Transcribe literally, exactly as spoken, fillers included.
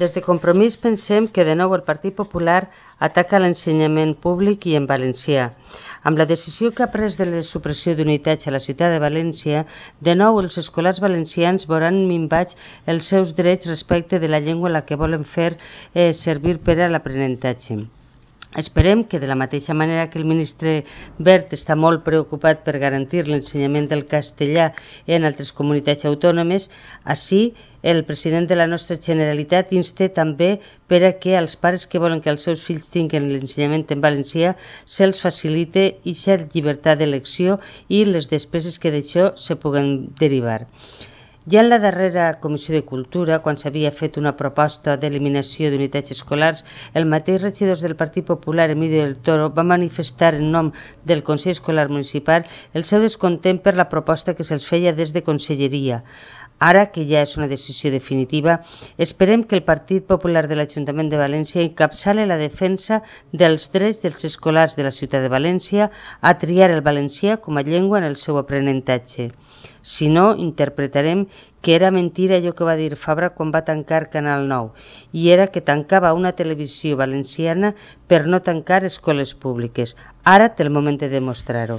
Des de Compromís pensem que de nou el Partit Popular ataca l'ensenyament públic i en valencià. Amb la decisió que ha pres de la supressió d'unitats a la ciutat de València, de nou els escolars valencians veuran minvats els seus drets respecte de la llengua en la que volen fer eh, servir per a l'aprenentatge. Esperem que, de la mateixa manera que el ministre Wert està molt preocupat per garantir l'ensenyament del castellà en altres comunitats autònomes, així el president de la nostra Generalitat insta també per a que als pares que volen que els seus fills tinguin l'ensenyament en valencià se'ls facilite aquesta llibertat d'elecció i les despeses que d'això se puguen derivar. Ja en la darrera Comissió de Cultura, quan s'havia fet una proposta d'eliminació d'unitats escolars, el mateix regidor del Partit Popular, Emilio del Toro, va manifestar en nom del Consell Escolar Municipal el seu descontent per la proposta que se'ls feia des de Conselleria. Ara que ja és una decisió definitiva, esperem que el Partit Popular de l'Ajuntament de València encapçale la defensa dels drets dels escolars de la ciutat de València a triar el valencià com a llengua en el seu aprenentatge. Si no, interpretarem que era mentira allò que va dir Fabra quan va tancar Canal nou, i era que tancava una televisió valenciana per no tancar escoles públiques. Ara té el moment de demostrar-ho.